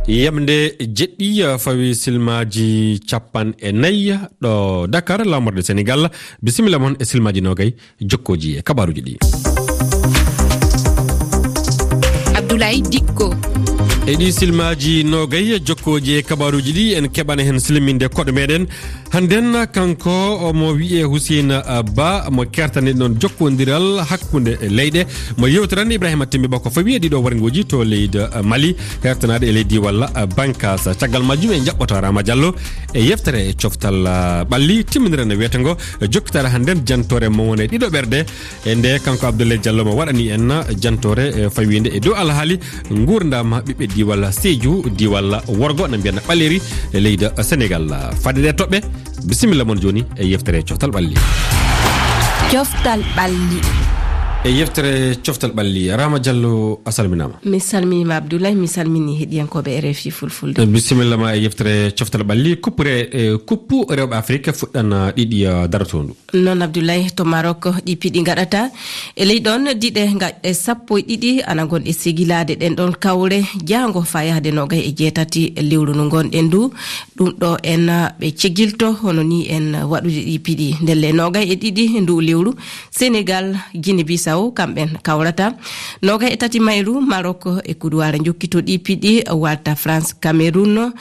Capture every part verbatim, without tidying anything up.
Yamde jeɗɗi, eh, fawi silmaaji capanɗe nayi ɗo Dakar, laamorde Senegal. Bisimilla mon e silmaaji nogay jokkooji e kabaruuji ɗi. Abdoulaye Dikko. E ɗi silmaaji nogay jokkooji e kabaruuji ɗi, en keɓana heen silminde koɗo meɗen. Hannden kanko omo wiyee Hussein, eh, Ba, mo kertani ɗon jokkondiral hakkunde leyɗe, mo yewtiran Ibrahima Timbi Ba ko fawi e ɗiɗo warnguuji to leydi, eh, Mali, hertanaade e leydi walla, eh, Bankas. Caggal majjum en jaɓɓoto Rama Diallo e yeftere e coftal, eh, ɓalli timminiren e wiyete ngo, eh, jokkitaare hannden jantoore mo won e ɗiɗo ɓerde. E nde kanko Abdoulaye Diallo mo waɗani en jantoore, eh, fawiinde e dow alhaali nguurndam ɓiɓɓe diiwal Sédhiou, diiwal worgo, no mbiyanna ɓaleeri e leydi Senegal. Fadde ɗe toɓɓe, bisimilla mon jooni e yeftere coftal ɓalli. Coftal ɓalli. E yeftere coftal ɓalli, Rama Diallo, a salminaama. Mi salminiima Abdoulaye, mi salmini heɗiyankooɓe R F I Fulfulde. Bisimilla ma e yeftere coftal ɓalli. Kuppure, eh, kuppu rewɓe Afrik fuɗɗan, eh, ɗiɗi, eh, darotoondu. Noon Abdoulaye, to Maroc ɗi piɗi ngaɗata. E ley ɗoon diɗe ngaɗɗe sappo e ɗiɗi ana ngonɗe segilaade ɗen ɗoon kawre jaango faa yahde noogay e jeetati lewru ndu ngonɗen ndu. Ɗum ɗo en ɓe cegilto, hono ni en waɗude ɗi piɗi. Ndelle noogay e ɗiɗi ndu lewru, Senegal, Guinée Bissau, kamɓen kawrata. Noogay e tati mayru, Maroc e Kuduwaare njokkito ɗi piɗi, walta France, Cameroun,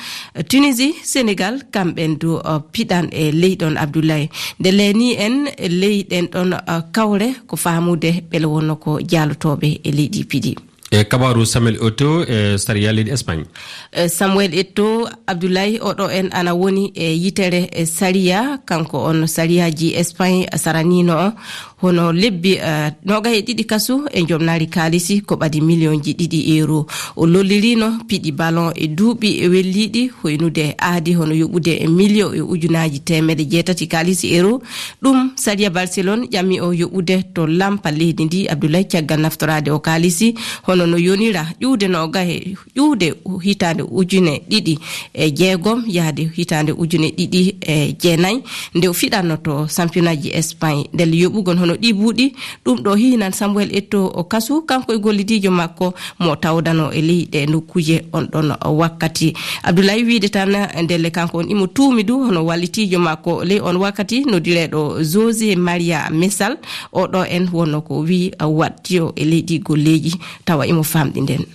Tunisie, Senegal, kamɓen du, uh, piɗan e ley ɗon Abdoulaye. Nde leeni en ley ɗen ɗon, uh, kawre ko faamude ɓele wonno ko jaalotooɓe e leydi piɗi. E kabaaru Samuel Eto'o e sariya leydi Espagne. Eh, Samuel Eto'o, Abdoulaye, oɗo en ana woni e yitere e sariya, kanko on sariyaaji Espagne saranino o. Hono lebbi, eh, noogay e ɗiɗi kasu e njomnaari kaalisi ko ɓadi miliyonji ɗiɗi euro. O lollirino piɗi ballon e duuɓi welliiɗi, hoynude aadi hono yoɓude e miliyo e ujunaaji teemedde jeetati kaalisi euro. Ɗum sariya Barcelone ƴami o yoɓude to lampa leydi ndi, Abdoulaye, caggal naftoraade o kaalisi, hono no yonira ƴuwde noogay ƴuwde hitaande ujune ɗiɗi e jeegom yahde hitaande ujune ɗiɗi e jeenayi, nde o fiɗanno to sampiyonaaji Espagne. Ndelle yoɓugol hono ɗii buuɗi, ɗum ɗo hiinan Samuel Eto'o o kasu, kanko e gollidiijo makko mo tawdano e ley ɗe nokkuuje on ɗon wakkati. Abdoulaye wiide tan, ndelle kanko on imo tuumi du hono wallitiijo makko ley on wakkati, noddireeɗo José Maria Mesal, o ɗo en wonno ko wii waɗtiyo e leydi golleeji, tawa imo famɗi nden.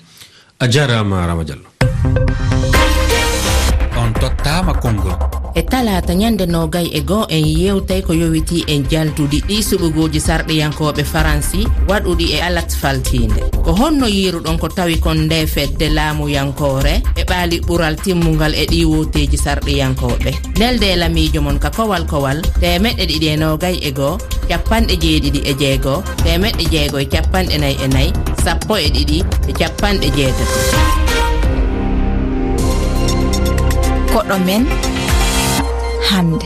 A jaaraama, Rama Diallo. On tottaama konngol. E talaata ñande noogay e goo en yewtay ko yowitii e jaltudi ɗi suɓugooji sarɗiyankooɓe Faransi waɗuɗi e alat faltiinde. Ko honno yiiruɗon ko tawi kon nde fedde laamuyankoore e ɓaali ɓural timmungal e ɗi wooteeji sarɗiyankooɓe? Nelde e lamiijo mon ka kowal kowal teemeɗɗe ɗiɗi e noogay e goo, capanɗe jeeɗiɗi e jeego, teemeɗɗe jeego e capanɗe nayi e nayi, sappo e ɗiɗi e capanɗe jeetati. Koɗo men hannde.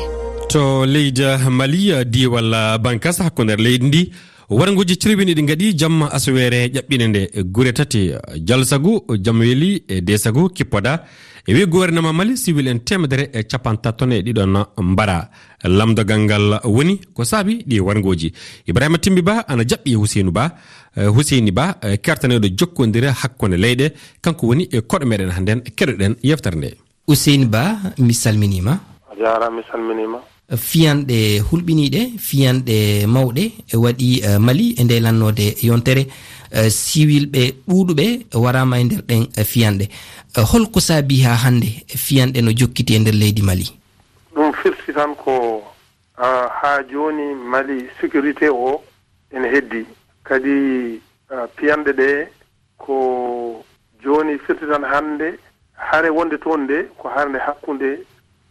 To leydi Mali, diiwal Bankas hakkunde leydi ndi, warnguuji cirbini ɗi ngaɗi jamma asaweere ƴaɓɓine nde gure tati, Jalsagu, Jamweli e Desagu kippoda. E wi gouvernement Mali, siwil en teemedere e capantato e ɗiɗon mbara. Lamdogal ngal woni ko saabi ɗi warnguuji. Ibrahima Timbi Ba ana jaɓɓi Huseynu Ba, eh, Huseyni Ba, eh, kertaneɗo jokkondire hakkunde leyɗe. Kanko woni e koɗo meɗen hannden, keɗoɗen yeftere nde. Huseyni Ba, mi salminiima. A jaaraama, mi salminiima. Fiyanɗe hulɓiniiɗe, fiyanɗe mawɗe e waɗi, eh, Mali e nde lannoode yontere, eh, siwilɓe ɗuuɗuɓe waraama e nder ɗen, eh, fiyanɗe. Eh, holko saabi haa hannde fiyanɗe no jokkiti e nder leydi Mali? Ɗum firti tan ko, ah, haa jooni Mali sécurité o ene heddi. Kadi, ah, piyanɗe ɗe ko jooni firti tan hannde hare wonde toon nde ko hare nde hakkunde,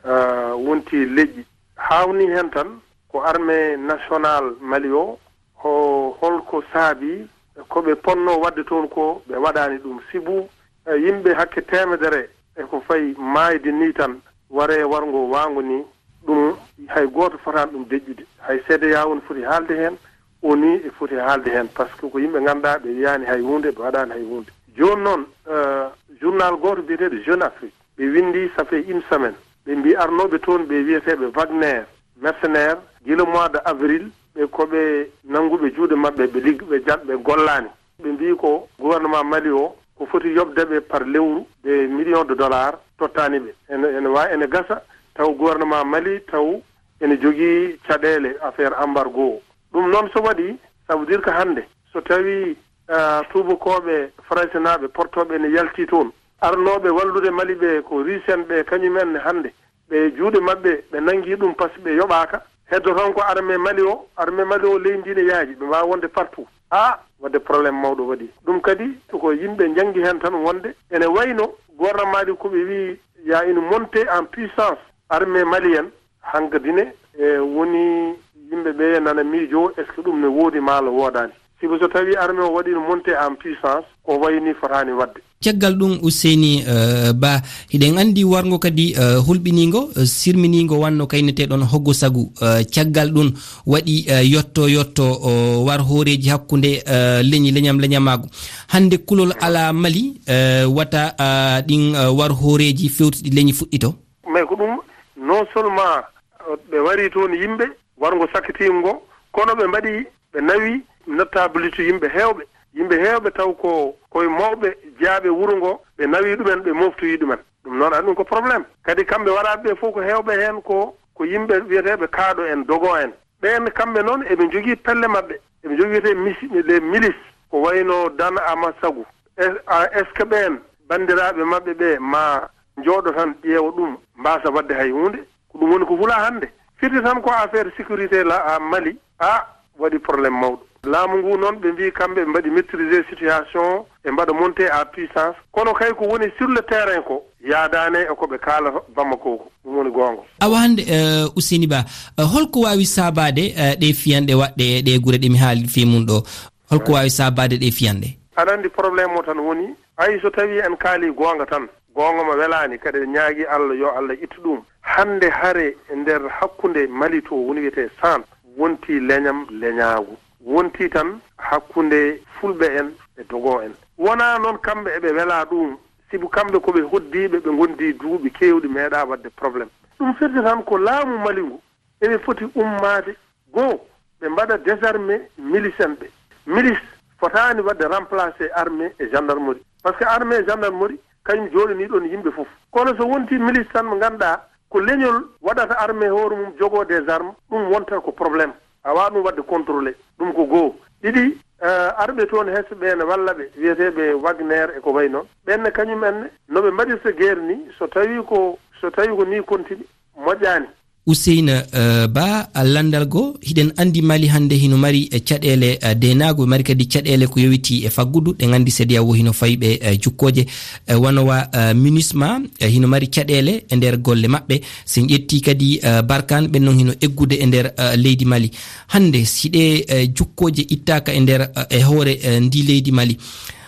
ah, wonti leƴƴi. Haawnii heen tan ko armée nationale Mali o, ho-, holko saabi ko ɓe potnoo waɗde toon ko ɓe waɗaani ɗum. Sibu, eh, yimɓe hakke teemedere e ko fayi maayde nii tan, waree warngo waango nii, ɗum hay gooto fotaani ɗum deƴƴude. Hay C D A O ne foti haalde heen, O N U e foti haalde heen, par ce que ko yimɓe ngannduɗaa ɓe wiyaani hay huunde, ɓe waɗaani hay huunde. Jooni noon, eh, journal gooto biyeteeɗo Jeune Afrique, ɓe winndi, ça fait une semaine, ɓe mbii arnooɓe toon ɓe wiyeteeɓe Wagner, mercenaire, gila mois de avril, ɓe ko ɓe nannguɓe juuɗe maɓɓe, ɓe ligg-, ɓe jal-, ɓe gollaani. Ɓe mbii ko gouvernement Mali o ko foti yoɓde ɓe par lewru, des millions de dollars tottaani ɓe. Ene, ene wa-, ene gasa taw gouvernement Mali taw ene jogii caɗeele affaire embargo o. Ɗum noon so waɗi, ça veut dire que hannde so tawi, ah, tuubakooɓe faraysenaaɓe portooɓe ene yalti toon, arnooɓe wallude Mali ɓe ko Russe en ɓe, kañum en hannde ɓe juuɗe maɓɓe, ɓe nanngi ɗum par ce que ɓe yoɓaaka. Heddo tan ko armée Mali o, armée Mali o leydi ndi ne yaaji, ɓe mbaawa wonde partout. Ah, waɗde problème mawɗo waɗi. Ɗum kadi ko yimɓe njanngi heen tan wonde ene wayno gouvernement ɗi ko ɓe wiyi y a une montée en puissance armée malienne, hankadi ne, e, woni yimɓe ɓe nana miijo, est-ce que ɗum ne woodi maa woodaani? Sibu so tawi armée o waɗiino montée en puissance, ko wayi ni fotaani waɗde. Caggal ɗum, Ousseyni, eh, Ba, hiɗen anndi warngo kadi, eh, hulɓiniingo, eh, sirminiingo wanno kayneteeɗon Hoggo Sagu. Eh, caggal ɗum waɗi, eh, yotto yotto, o, war hooreeji hakkunde, eh, leñi leñam leñamaagu. Hannde kulol alaa Mali, eh, wata, ah, ɗin, eh, war hooreeji fewtuɗi leñi fuɗɗito. Mais ko ɗum, non seulement, eh, ɓe wari toon yimɓe, warngo sakkitiingo ngo, kono ɓe mbaɗi, ɓe nawi notabilité yimɓe heewɓe. Yimɓe heewɓe taw ko koye mawɓe jeyaaɓe wuro ngo, ɓe nawi ɗumen, ɓe moftoyi ɗumen. Ɗum noon, aɗa ɗum ko problème. Kadi kamɓe waraaɓe ɓe fof ko heewɓe heen ko, ko yimɓe wiyeteeɓe kaaɗo en, dogo en. Ɓeen kamɓe noon eɓe njogii pelle maɓɓe. Eɓe njogii wiyetee misi-, les milices. Ko wayno Dan Amasagu. Es-, a, est-ce que ɓeen banndiraaɓe maɓɓe ɓe ma njooɗo tan ƴeewa ɗum, mbaasa waɗde hay huunde? Ko ɗum woni ko hula hannde. Firti tan ko affaire sécurité la, a, Mali. A, waɗi problème mawɗo. Laamu ngu noon, ɓe mbii kamɓe ɓe mbaɗi maîtriser situation, ɓe mbaɗa montée à puissance. Kono kay ko woni sur le terrain ko yaadaane e ko ɓe kaalata Bamako ko. Ɗum woni goonga. Awa hannde, eh, Ousseyni Ba, eh, holko waawi saabaade, eh, ɗe fiyanɗe waɗɗe e ɗe gure ɗe mi haali fii mum ɗo? Holko waawi saabaade ɗe fiyanɗe? Aɗa anndi problème o tan woni, hay so tawii en kaalii goonga tan, goonga ma welaani, kadi en ñaagii Allah yo Allah ittu ɗum. Hannde hare e nder hakkunde Mali to woni wiyetee San, wontii leñam leñaagu. Wontii tan hakkunde fulɓe en e dogo en. Wonaa noon kamɓe eɓe welaa ɗum, sibu kamɓe ko ɓe hoddiiɓe, ɓe ngondii duuɓi keewɗi meeɗaa waɗde problème. Ɗum firti tan ko laamu Mali ngu eɓe foti ummaade. Goo, ɓe mbaɗa désarmé milice en ɓe. Milice fotaani waɗde remplacé armée e gendarmerie. Parce que armée e gendarmerie, kañum jooɗanii ɗoon yimɓe fof. Kono so wontii milice tan mo ngannduɗaa ko leñol waɗata armée hoore mum, jogoo des armes, ɗum wonta ko problème. A waawaa ɗum waɗde contrôlé. Ɗum ko goo. Ɗiɗi, eh, arɓe toon hesɓe ɓe ne walla ɓe, wiyeteeɓe Wagner e ko wayi noon. Ɓeen ne kañum en ne, no ɓe mbaɗirta guerre ni, so tawii ko, so tawii ko ni continue, moƴƴaani. Ousseyna, eh, Ba, a lanndal goo, hiɗen anndi Mali hannde hino mari, eh, caɗeele, eh, deenaagu, ɓe mari kadi caɗeele ko yowitii e faggudu, ɗen anndi C D A O hino fawi ɓe, eh, jukkooje, eh, wano wa, eh, MINUSMA, eh, hino mari caɗeele e nder golle maɓɓe. Si en ƴettii kadi, eh, Barkhane, ɓen non hino eggude e nder, eh, leydi Mali. Hannde, si ɗee, eh, jukkooje ittaaka e nder, eh, e hoore, eh, ndi leydi Mali,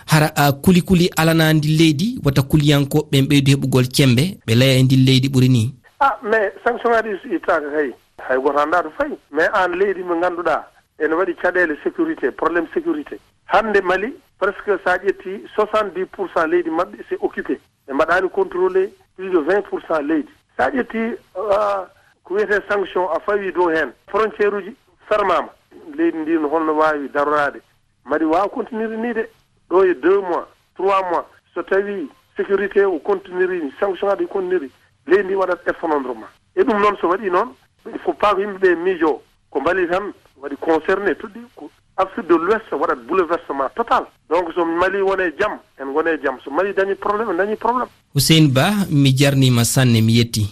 hara, eh, kuli kuli alanaa ndi leydi, wata kuliyankooɓe ɓen ɓeydu heɓugol cemmbe, ɓe laya e ndi leydi ɓuri nii. Ah, mais sanction ŋaaji ɗi so ittaaka kay, hay gooto anndaa to fayi. Mais aan leydi mo ngannduɗaa ene waɗi caɗeele sécurité, problème sécurité. Hannde Mali, presque so a ƴettii soixante-dix pour cent leydi maɓɓe, c'est occupé. Ɓe mbaɗaani contrôlé plus de vingt pour cent leydi. So a ƴettii, ah, ko wiyetee sanction, a fawii dow heen. Frontière uji fermaama. Leydi ndi no holno waawi daroraade? Mali waawa continuer nii de, ɗo e deux mois, trois mois, so tawii sécurité o continuerii, sanction ŋaaji ɗi continuerii, leydi ndi waɗat effondrement. E ɗum noon, so waɗii noon, il faut pas ko yimɓe ɓe miijoo ko Mali tan waɗi concerné, toɗɗii ko Afrique de l'Ouest waɗat bouleversement total. Donc, so Mali woni e jam, en ngoni e jam. So Mali dañi problème, en dañi problème. Hussein Ba, mi jarniima sanne, mi yetti.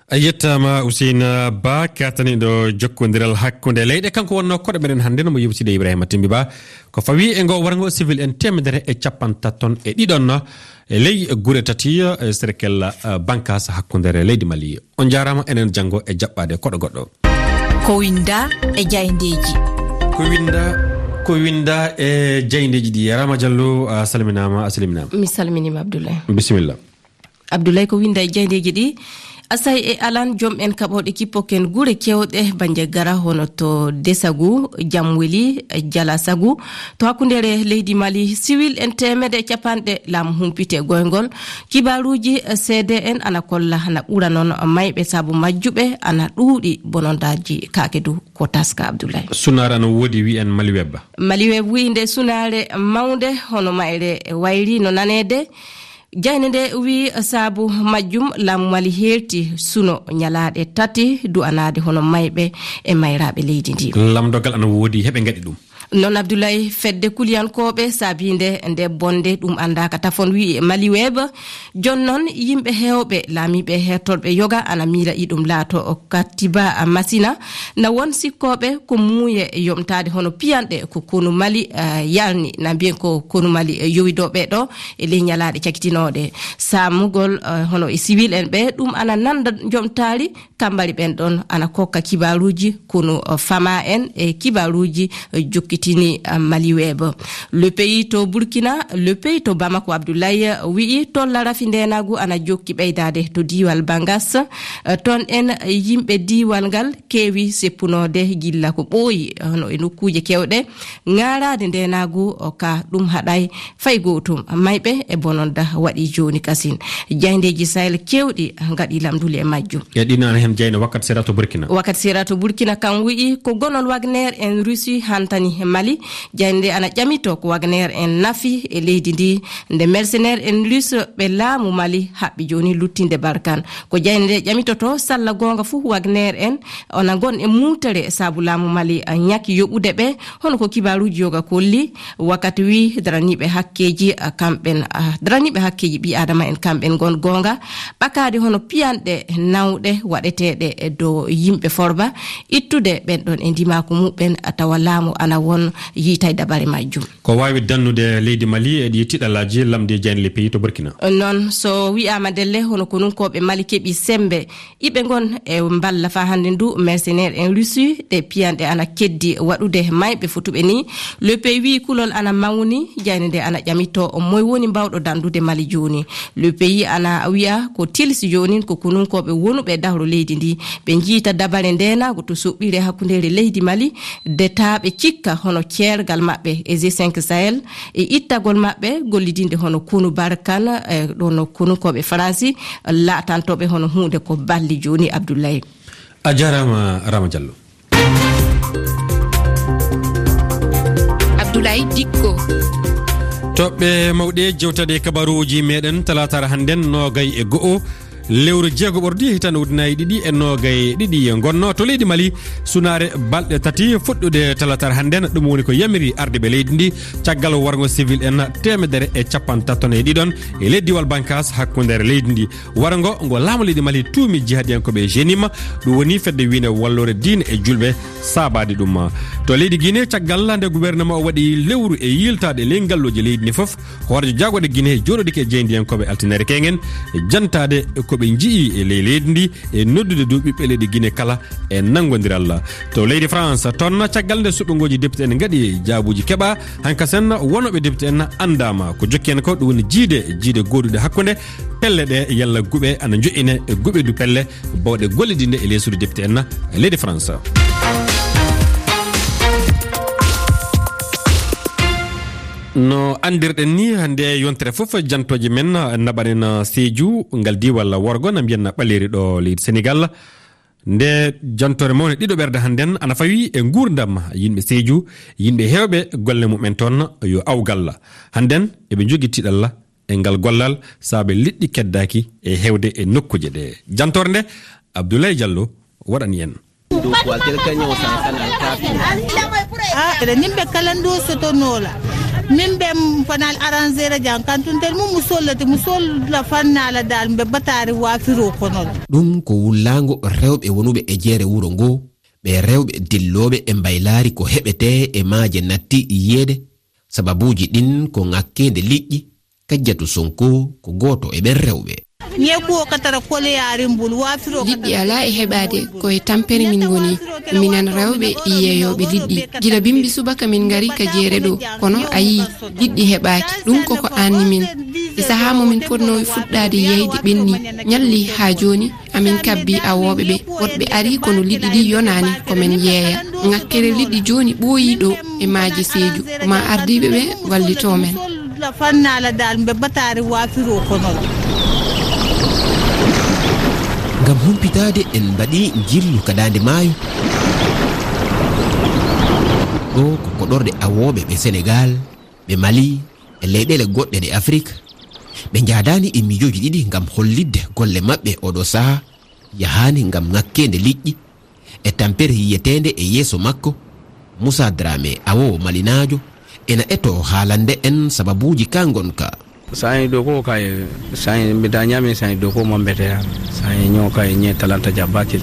A yettaama, Hussein Ba, kaataniiɗo jokkondiral hakkunde leyɗe. Kanko wonnoo koɗo meɗen hannde, no mo yewtide Ibrahima Timbi Ba. Ko fawii e ngo warngo civil en teemedere e capantato e ɗiɗon e ley gure tati, e serkel, eh, bankaasa hakkundere leydi Mali. On njaaraama, enen janngo e jaɓɓaade koɗo goɗɗo. Ko winnda e jayndeeji. Ko winnda, ko winnda e jayndeeji ɗi. Rama Diallo, a salminaama, a salminaama. Mi salminiima, Abdoulaye. Bisimilla. Abdoulaye, ko winnda e jayndeeji ɗi. Asay e alan, joom en kaɓooɗe kippoken gure keewɗe Bandiagara, hono to Desagu, Jamweli, Jalasagu, to hakkundeere leydi Mali. Siwil en teemedde e capanɗe, laamu humpiti e goyngol. Kibaaruuji C D N ana kolla na ɓura noon mayɓe sabu majjuɓe ana ɗuuɗi, bonondaaji kaake du. ko taska, Abdoulaye. Sunaare ana woodi, wiyen Maliweb. Maliweb wiyi nde sunaare mawnde hono mayre wayri no naneede. Jaaynde nde wiyi saabu majjum laamu Mali heerti suno ñalaaɗe tati du'anaade hono mayɓe e mayraaɓe leydi ndi. Lamdogal ana woodi, heɓe ngaɗi ɗum. Noon Abdoulaye, fedde kuliyankooɓe saabiinde nde bonde ɗum anndaaka tafon wiyi Maliweb. Jooni noon, yimɓe heewɓe, laamiiɓe e heertorɓe yoga ana miila iɗum laato o kattiba masina. Na won sikkooɓe ko muuye yomtaade hono piyanɗe ko konu Mali, eh, yalni, na mbiyen ko konu Mali, eh, yowidoo ɓe ɗo e ley ñalaaɗe cakitinooɗe. Saamugol, eh, hono e siwil en ɓe, ɗum ana nanda jomtaari, kambari ɓen ɗon ana kokka kibaaruuji konu, eh, fama en e kibaaruuji, eh, jokkitini, eh, Maliweb. Le Pays to Burkina, Le Pays to Bamako, Abdoulaye, eh, wi'i tolla rafi ndeenaagu ana jokki ɓeydaade to diiwal Bangas. Eh, toon en, eh, yimɓe diiwal ngal keewi seppunoode gilla ko ɓooyi, eh, hono e nokkuuje kewɗe. Ŋaaraade ndeenaagu o ka ɗum haɗay fay gootum. Mayɓe e bononda waɗi jooni kasin. Jaayndeeji Sahel keewɗi ngaɗi lamnduli e majjum. E ɗin ana heen jaaynde Wakat Sera to Burkina. Wakat Sera to Burkina kam wi'i ko gonol Wagner en Russie hantani Mali. Jaaynde ana ƴamito ko Wagner en nafi e leydi ndi, nde mercenaire en Russie ɓe laamu Mali haɓɓi jooni luttinde Barkan. Ko jaaynde nde ƴamitoto salla goonga fuu Wagner en ona ngon e muutere sabu laamu Mali, a, ñaki yoɓude ɓe, hono ko kibaaruuji yoga kolli. Wakat wi daraniiɓe hakkeeji, a, kamɓen, a, daraniiɓe hakkeeji ɓii aadama en kamɓen ngon goonga ɓakaade hono piyanɗe nawɗe waɗeteeɗe e dow yimɓe forba, ittude ɓen ɗon e ndimaaku muɓɓen, a, tawa laamu ana won yiitay dabare majjum. Ko waawi dannude leydi Mali e ɗi tiɗalaaji, lamndi jaaynde Le Pays to Burkina. Noon, so wi'aama ndelle, hono konunkooɓe Mali keɓi semmbe, iɓe ngon e mballa faa hannde ndu mercenaire en Russie, ɗe piyanɗe ana keddi waɗude mayɓe fotuɓe ni. Le Pays wi'i kulol ana mawni, jaaynde nde ana ƴamito moy woni mbawɗo dandude Mali jooni. Le Pays ana wi'a ko tilsi joonin ko konunkooɓe wonuɓe dahro leydi ndi, ɓe njiita dabare ndeenaagu to soɓɓiire hakkundeere leydi Mali, de taa ɓe cikka hono ceergal maɓɓe e G cinq Sahel, e ittagol maɓɓe gollidinde hono konu Barkan, e ɗon konunkooɓe Faransi, laatantooɓe hono huunde ko balli jooni, Abdoulaye. A jaaraama, Rama Diallo. Abdoulaye Dikko. Toɓɓe mawɗe jewtade e kabaruuji meɗen talaataare hannden, noogay e go'o lewru jeego ɓordi, hitande ujunaaji ɗiɗi e noogay e ɗiɗi. Ngonno to leydi Mali sunaare balɗe tati fuɗɗude talaataare hannden. Ɗum woni ko yamiri ardiiɓe leydi ndi caggal warngo civil en teemedere e capantato e ɗiɗon e ley diiwal Bankas hakkundeere leydi ndi. Warngo ngo laamu leydi Mali tuumi jihadiyankooɓe e jenim, ɗum woni fedde wiinde walloore diine e julɓe saabaade ɗum. To leydi Guinée, caggal nde gouvernement o waɗi lewru e yiltaade ley ngalluuje leydi ndi fof, hooreejo jaagorɗe Guinée jooɗodike e jaayndiyankooɓe altine kewngen, jantaade ko ɓe nji'i e ley leydi ndi, e noddude dow ɓiɓɓe leydi Guinée kala e nanngondiral. To leydi France, toon caggal nde suɓngooji député en ngaɗi jaabuuji keɓa, hankasen wonooɓe député en anndaama. Ko jokki en ko ɗum woni jiide, jiide gooduɗe hakkunde pelle ɗe yalla guɓe ana njo'ine e guɓe du pelle bawɗe gollidinde e leesude député en leydi France. No anndirɗen ni, hannde yontere fof jantooje men naɓanen Sédhiou, ngal diiwal worgo, na mbiyen na Ɓaleeri ɗo leydi Sénégal. Nde jantoore mawne ɗiɗo ɓerde hannden ana fawi e nguurndam yimɓe Sédhiou, yimɓe heewɓe golle mumen toon yo awgal. Hannden eɓe njogii tiiɗalla e ngal gollal, saabe liɗɗi keddaaki e heewde e nokkuuje ɗe. Jantoore nde, Abdoulaye Diallo waɗani en. Ah, eɗen nimɓe kala ndo sotonoola. Min ɓe fanal arrangere jan kantuntel mum mu sollati, mu solla fannala dal mbe batari wafiro konol. Ɗum ko wullaango rewɓe wonuɓe e jeere wuro ngo, ɓe rewɓe dillooɓe e mbaylaari ko heɓetee e maaje natti yiyeede. Sababuuji ɗin ko ŋakkeende liƴƴi, Kajjatu Sonko ko gooto e ɓen rewɓe. Ñeekuwo katara koleyaari mbul, waafiroo liɗɗi alaa e heɓaade, ko e tampere min ngoni. Minen rewɓe yeeyooɓe liɗɗi. Gila bimbi subaka min ngari ka jeere ɗo, kono a yii, liɗɗi heɓaaki. Ɗum ko ko aanni min. E sahaa mo min potnoo fuɗɗaade yeeyde ɓenni, ñalli haa jooni, amin kabbi awooɓe ɓe. Woɗɓe arii kono liɗɗi ɗi yonaani ko men yeeya. Ŋakkere liɗɗi jooni ɓooyii ɗo e maaje Seeju. Ko maa ardiiɓe ɓe wallitoo men. Fannaala dal mbe bataare waafiroo kono. Ngam humpitaade, en mbaɗi njillu ka daande maayo. Ɗo ko koɗorɗe awooɓe ɓe Senegaal, ɓe Mali, e leyɗeele goɗɗe ɗe Afrik. Ɓe njaadaani e miijooji ɗiɗi ngam hollitde golle maɓɓe oɗo sahaa yahaani ngam ŋakkeende liƴƴi. E tampere yiyeteende e yeeso makko, Moussa Dramé, awoowo malinaajo, ena etoo haalande en sababuuji ka ngonka. Saɲi doko kay, saɲi mbita ɲami saɲi doko mambete ya. Saɲi ɲo kay ɲe talanta jabakil.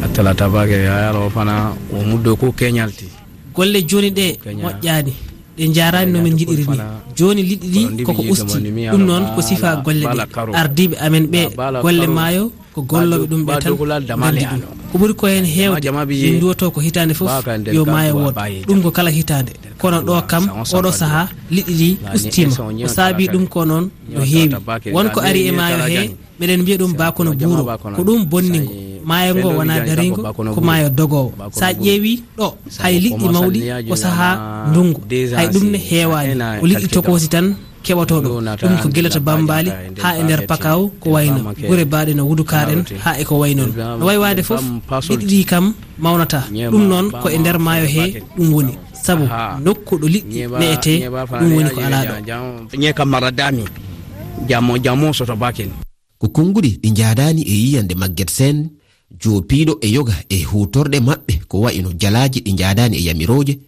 A talata bake ya yaro fana o mu doko kenyalti. Golle jooni ɗe moƴƴaani, ɗe njaaraani no min njiɗiri ni. Jooni liɗɗi ɗi koko usti, ɗum noon ko sifa golle ɗe. Ardiiɓe amen ɓe golle maayo ko gollooɓe ɗum ɓe tan nganndi ɗum. Ko ɓuri ko heen heewde, min nduwotoo ko hitaande fof yo maayo wood. Ɗum ko kala hitaande. Kono ɗo kam, oɗo sahaa, liɗɗi ɗi ustiima. Ko saabii ɗum ko noon no heewi. Won ko ari e maayo he, meɗen mbiya ɗum baakono buuro. Ko ɗum bonningo. Maayo ngo wonaa dariingo, ko maayo dogoowo. So a ƴeewii ɗo, hay liɗɗi mawɗi ko sahaa ndunngu. Hay ɗum ne heewaani. Ko liɗɗi tokoosi tan keɓotoo ɗo. Ɗum ko gila to Bambaali haa e nder Pakaaw ko wayno gure baaɗe no Wudukaar en haa e ko wayi noon. No wayi waade fof, liɗɗi ɗi kam mawnataa. Ɗum noon ko e nder maayo he ɗum woni. Sabu nokku ɗo liɗɗi ne'etee, ɗum woni ko alaa ɗo. Ɲe kam mara dami. Jamo, jamo soto bakin. Ko konnguɗi ɗi njaadaani e yiyannde Maguette Sène, joopiiɗo e yoga e huutorɗe maɓɓe ko wayi no jalaaji ɗi njaadaani e yamirooje.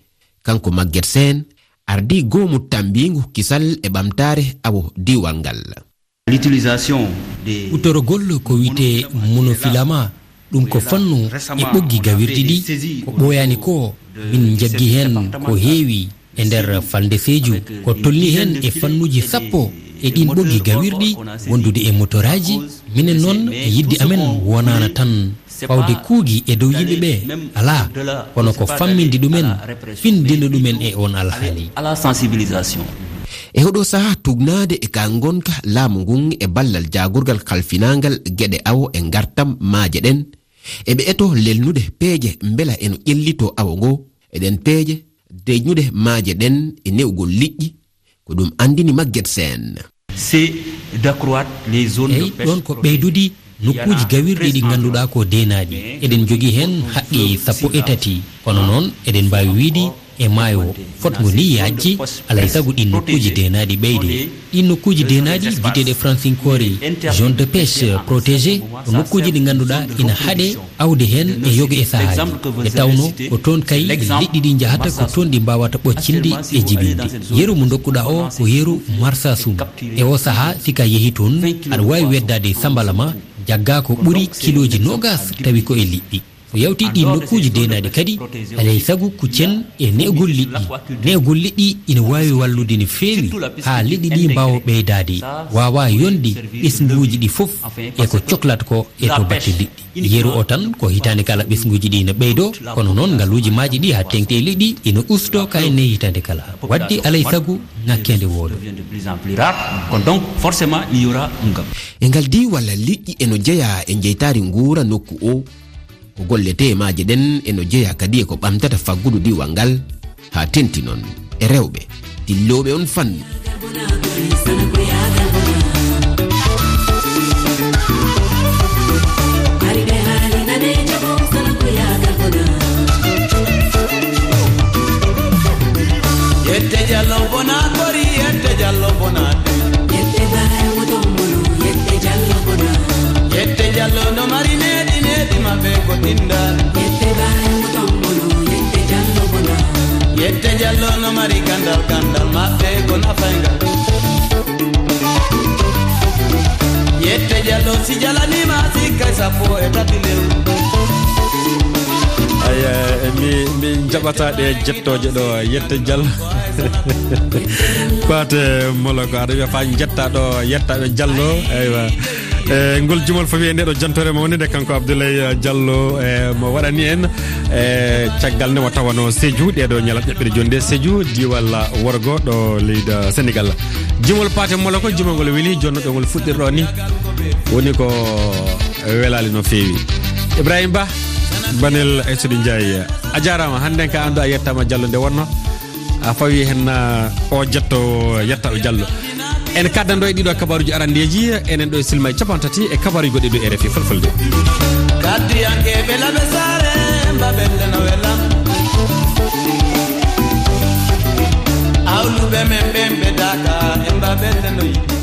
Kanko Maguette Sène ardii goomu tammbiingu kisal e ɓamtaare awo diiwal ngal. L'utilisation des Huutorgol ko wiyetee monofilament, ɗum ko fannu e ɓoggi gawirɗi ɗi, ko ɓooyaani ko min njaggi heen ko heewi e nder falnde Seeju, ko tolnii heen e fannuuji sappo e ɗiin ɓoggi gawirɗi wondude e motoraaji. Minen noon, yiɗde amen wonaano tan fawde kuugi e dow yimɓe ɓe, alaa, kono ko famminde ɗumen, findinde ɗumen e oon alhaali. À la sensibilisation. E oɗo sahaa, tugnaade e ka ngonka laamu ngun e ballal jaagorgal kalfinaangal geɗe awo e ngartam maaje ɗen, eɓe etoo lelnude peeje mbela eno ƴellitoo awo ngo. E ɗen peeje, deñude maaje ɗen e ne'ugol liƴƴi, ko ɗum anndini Maguette Sène. C'est d'accroître les zones de Eyi, pêche ɗon ko protégées. Ɓeydude nokkuuji gawirɗi ɗi ngannduɗaa ko deenaaɗi. Eɗen njogii heen haqqi sappo e tati. Kono noon, eɗen mbaawi wiyde e maayo fotngo ni yaajde, alaa e sago ɗiin nokkuuji deenaaɗi ɓeyde. Ɗiin nokkuuji deenaaɗi biyeteeɗi e fransinkoore zone de pêche protégée, ko nokkuuji ɗi ngannduɗaa ina haɗe awde heen e yoga e sahaaji. E tawno ko toon kay liɗɗi ɗi njahata, ko toon ɗi mbaawata ɓoccinde e jibinde. Yeru mo ndokkuɗaa o ko yeru Marsassoum. E o sahaa, si ka yehi toon, aɗa waawi weddaade sambala ma, jaggaa ko ɓuri kilooji noogas, tawi ko e liɗɗi. So yawtii ɗiin nokkuuji deenaaɗi kadi, alaa e sago kuccen e ne'ugol liɗɗi. Ne'ugol liɗɗi ina waawi wallude no feewi haa liɗɗi ɗi mbaawa ɓeydaade, waawa yonde ɓesnguuji ɗi fof e ko coklata ko e to batte liɗɗi. Yeru o tan, ko hitaande kala ɓesnguuji ɗi ina ɓeydoo, kono noon ngaluuji maaji ɗi haa teeŋti e liɗɗi ina ustoo kayne hitaande kala. Waɗde alaa e sago ŋakkeende wooda. De plus en plus rare. Kon donc, forcément, il y aura un gap. E ngal diiwal, liƴƴi eno jeyaa e jeytaari nguura nokku o. Ko golletee maaje ɗen eno jeyaa kadi e ko ɓamtata faggudu diiwal ngal, haa teeŋti noon e rewɓe dillooɓe on fannu. Yette Jallo bona kori, yette Jallo bona de. Yette Baye Mutombolo, yette Jallo bona. Yette Jallo no mari needi, needi maɓɓe ko tinda. Yette Baye Mutombolo, yette Jallo bona. Yette Jallo no mari gandal, gandal maɓɓe ko nafayngal. Yette Jallo si jalaniima sikkay sappo e tati lewru. Ay, eh, mi, mi jaɓata ɗe jettooje ɗo, yette Jallo. Paate Molo ko aɗa wiya fa jetta ɗo, yetta ɓe Jallo. Aywa. E ngol jimol fof e nde ɗo jantore mawni nde, kanko Abdoulaye Diallo, e mo waɗani en, e caggal nde mo tawano Sédhiou, ɗeɗo ñalawma ƴaɓɓire jonde Sédhiou, diwal worgo ɗo leydi Sénégal. Jimol Paate Molo ko jimol ngol weli, jonno ɗo ngol fuɗɗirɗo ni woni ko welali no feewi. Ibrahima Ba, Banel Aïssatou Ndiaye, a jaaraama. Hannde ka anndu a yettama Diallo nde wonno. A fawi hen, ah, o jetto, yetta o Diallo. En kaddando e ɗiɗo kabaruji arandeji, enen ɗo e silma e capanɗe tati e kabaruji goɗɗi ɗo R F I Fulfulde. Kaddiyankeɓe laɓe saare, mbaɓelle no welam. Ɓe men ɓen ɓe daka, en ba ɓe teno yiɗi.